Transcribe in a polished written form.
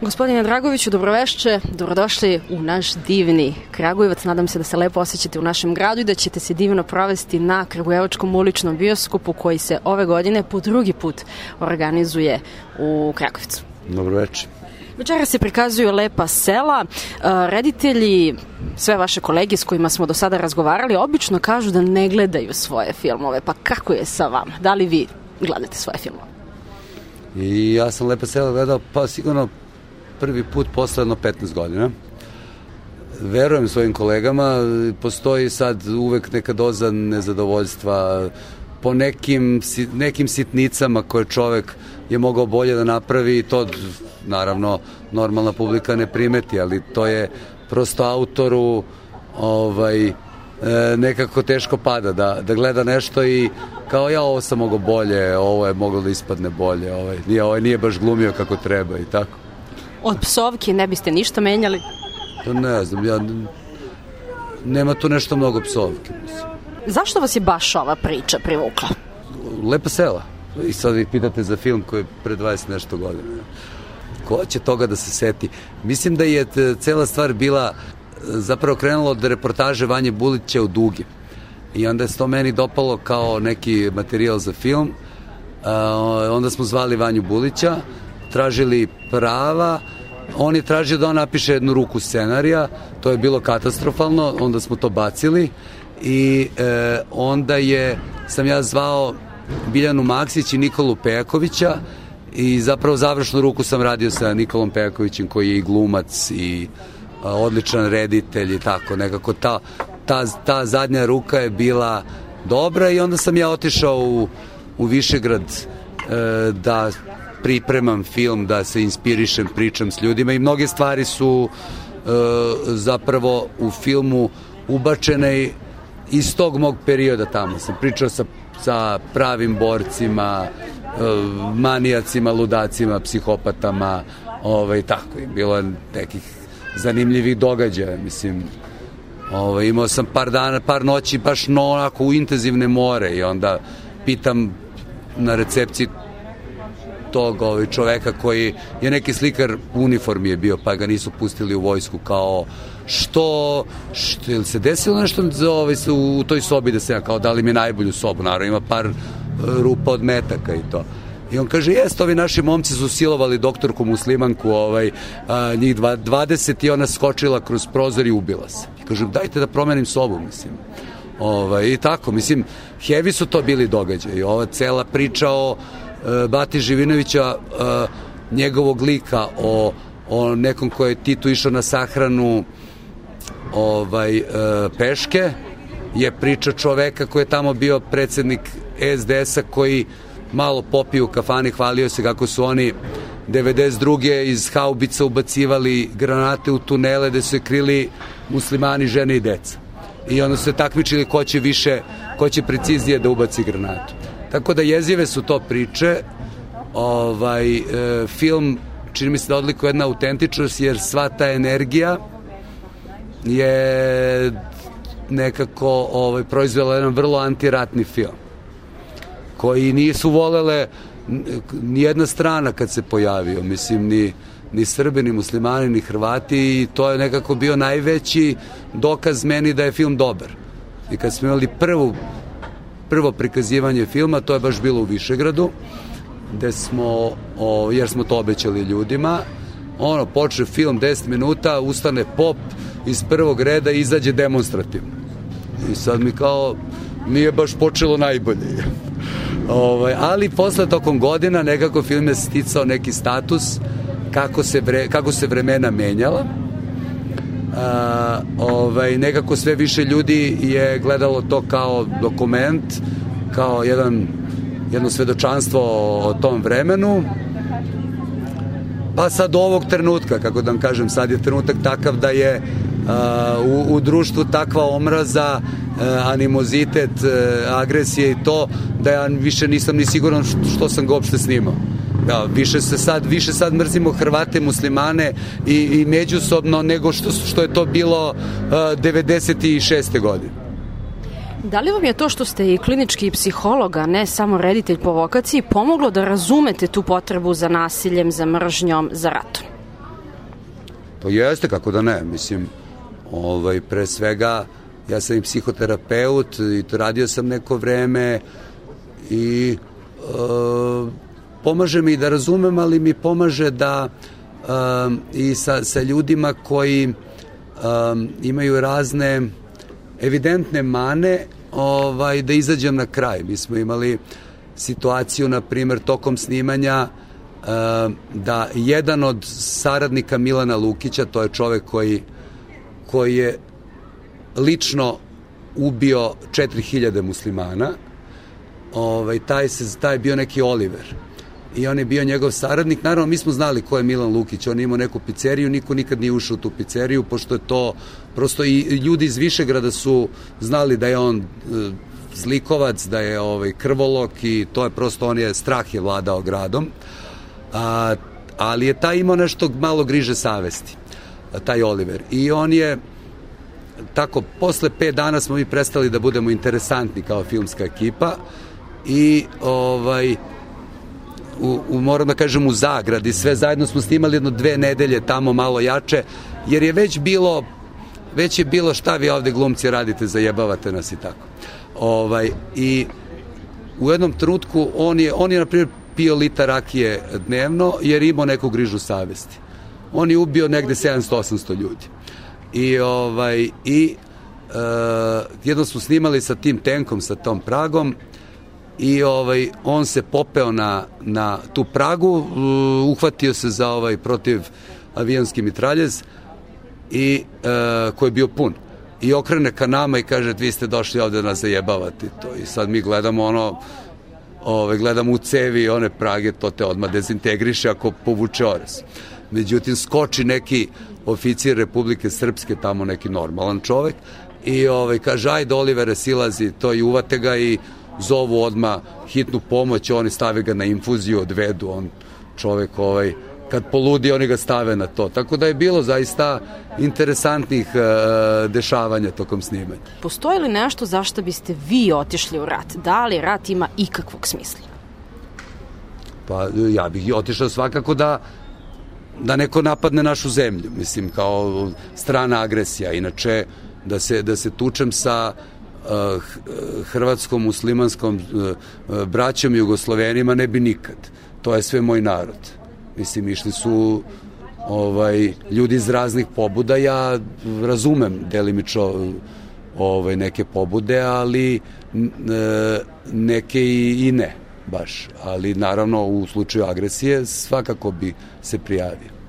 Gospodine Dragoviću, dobroveče, dobrodošli u naš divni Kragujevac. Nadam se da se lepo osjećate u našem gradu i da ćete se divno provesti na Kragujevačkom uličnom bioskopu koji se ove godine po drugi put organizuje u Kragujevcu. Dobroveče. Večera se prikazuju lepa sela. Reditelji, sve vaše kolege s kojima smo do sada razgovarali, obično kažu da ne gledaju svoje filmove. Pa kako je sa vama? Da li vi gledate svoje filmove? I ja sam Lepa sela gledao pa sigurno prvi put posle jedno 15 godina. Verujem svojim kolegama, postoji sad uvek neka doza nezadovoljstva po nekim sitnicama koje čovek je mogao bolje da napravi i to naravno normalna publika ne primeti, ali to je prosto autoru nekako teško pada da gleda nešto i kao ja ovo sam mogao bolje, ovo je moglo da ispadne bolje, ovaj nije baš glumio kako treba i tako. Od psovki ne biste ništa menjali? Ne znam, nema tu nešto mnogo psovke. Mislim. Zašto vas je baš ova priča privukla? Lepa sela. I sad vi pitate za film koji je pre 20 nešto godina. Ko će toga da se seti? Mislim da je cela stvar bila zapravo krenula od reportaže Vanje Bulića u Dugi. I onda je to meni dopalo kao neki materijal za film. Onda smo zvali Vanju Bulića, tražili prava, on je tražio da on napiše jednu ruku scenarija, to je bilo katastrofalno, onda smo to bacili i onda sam ja zvao Biljanu Maksić i Nikolu Pejakovića i zapravo završnu ruku sam radio sa Nikolom Pejakovićem koji je i glumac i odličan reditelj i tako, nekako ta zadnja ruka je bila dobra i onda sam ja otišao u Višegrad da pripremam film, da se inspirišem, pričam s ljudima i mnoge stvari su zapravo u filmu ubačene iz tog mog perioda tamo. Sam pričao sa pravim borcima, manijacima, ludacima, psihopatama, tako je. Bilo je nekih zanimljivih događaja, mislim. Imao sam par noći baš onako u intenzivne more i onda pitam na recepciji tog čoveka koji je neki slikar u uniformi je bio, pa ga nisu pustili u vojsku, kao što je se desilo nešto u toj sobi da se ja kao dali mi najbolju sobu, naravno ima par rupa od metaka i to. I on kaže, ovi naši momci su silovali doktorku muslimanku, njih 20 i ona skočila kroz prozor i ubila se. I kaže, dajte da promenim sobu, mislim. I tako, mislim, heavy su to bili događaji. Ova cela priča o Bati Živinovića, njegovog lika, o nekom koji je Titu išao na sahranu peške, je priča čoveka koji je tamo bio predsednik SDS-a koji malo popio u kafani, hvalio se kako su oni 92. iz haubica ubacivali granate u tunele gde su se krili muslimani, žene i deca. I onda su se takmičili ko će preciznije da ubaci granatu. Tako da jezive su to priče. Film čini mi se da odlikuje jedna autentičnost jer sva ta energija je nekako proizvela jedan vrlo antiratni film koji nisu volele nijedna strana kad se pojavio, mislim ni Srbi, ni muslimani, ni Hrvati i to je nekako bio najveći dokaz meni da je film dobar. I kad smo imali prvo prikazivanje filma, to je baš bilo u Višegradu, gde smo, jer smo to obećali ljudima, počne film 10 minuta, ustane pop iz prvog reda i izađe demonstrativno. I sad mi kao, nije baš počelo najbolje. Ali posle tokom godina nekako film je sticao neki status kako se vremena menjala. Nekako sve više ljudi je gledalo to kao dokument, kao jedno svedočanstvo o tom vremenu. Pa sad ovog trenutka, kako da vam kažem, sad je trenutak takav da je u društvu takva omraza, animozitet, agresije i to, da ja više nisam ni siguran što sam ga uopšte snimao. Da, više sad mrzimo Hrvate, muslimane i međusobno nego što je to bilo 96. godine. Da li vam je to što ste i klinički psiholog, a ne samo reditelj po vokaciji, pomoglo da razumete tu potrebu za nasiljem, za mržnjom, za ratom? To jeste, kako da ne, mislim, pre svega, ja sam i psihoterapeut i radio sam neko vreme i pomaže mi da razumem, ali mi pomaže da i sa ljudima koji imaju razne evidentne mane, da izađem na kraj. Mi smo imali situaciju, na primjer, tokom snimanja da jedan od saradnika Milana Lukića, to je čovek koji je lično ubio 4000 muslimana, taj je bio neki Oliver i on je bio njegov saradnik. Naravno, mi smo znali ko je Milan Lukić, on je imao neku pizzeriju, niko nikad nije ušao u tu pizzeriju, pošto je to prosto i ljudi iz Višegrada su znali da je on zlikovac, da je krvolok i to je prosto, strah je vladao gradom, ali je taj imao nešto malo griže savesti, taj Oliver, i on je tako, posle 5 dana smo mi prestali da budemo interesantni kao filmska ekipa i moram da kažem u zagradi, sve zajedno smo snimali 2 nedelje tamo malo jače, jer je već je bilo šta vi ovde glumci radite, zajebavate nas i tako. I u jednom trenutku on je na primjer pio litar rakije dnevno jer imao neku grižu savesti. On je ubio negde 700-800 ljudi. I jedno smo snimali sa tim tenkom, sa tom pragom, i on se popeo na tu pragu, uhvatio se za protiv avionski mitraljez i koji je bio pun, i okrene ka nama i kaže, vi ste došli ovde da nas zajebavate to. I sad mi gledamo gledamo u cevi one prage, to te odmah dezintegriše ako povuče orez. Međutim, skoči neki oficir Republike Srpske, tamo neki normalan čovek, i kaže, ajde Olivere, silazi, to, i uvate ga i zovu odmah hitnu pomoć, oni stave ga na infuziju, odvedu, on čovek kad poludi, oni ga stave na to. Tako da je bilo zaista interesantnih dešavanja tokom snimanja. Postoji li nešto zašto biste vi otišli u rat? Da li rat ima ikakvog smisla? Pa ja bih otišao svakako da neko napadne našu zemlju, mislim, kao strana agresija. Inače, da se tučem sa hrvatskom, muslimanskom braćom i Jugoslovenima ne bi nikad. To je sve moj narod. Mislim, išli su ljudi iz raznih pobuda, ja razumem delimično neke pobude, ali neke i ne baš. Ali naravno u slučaju agresije svakako bi se prijavio.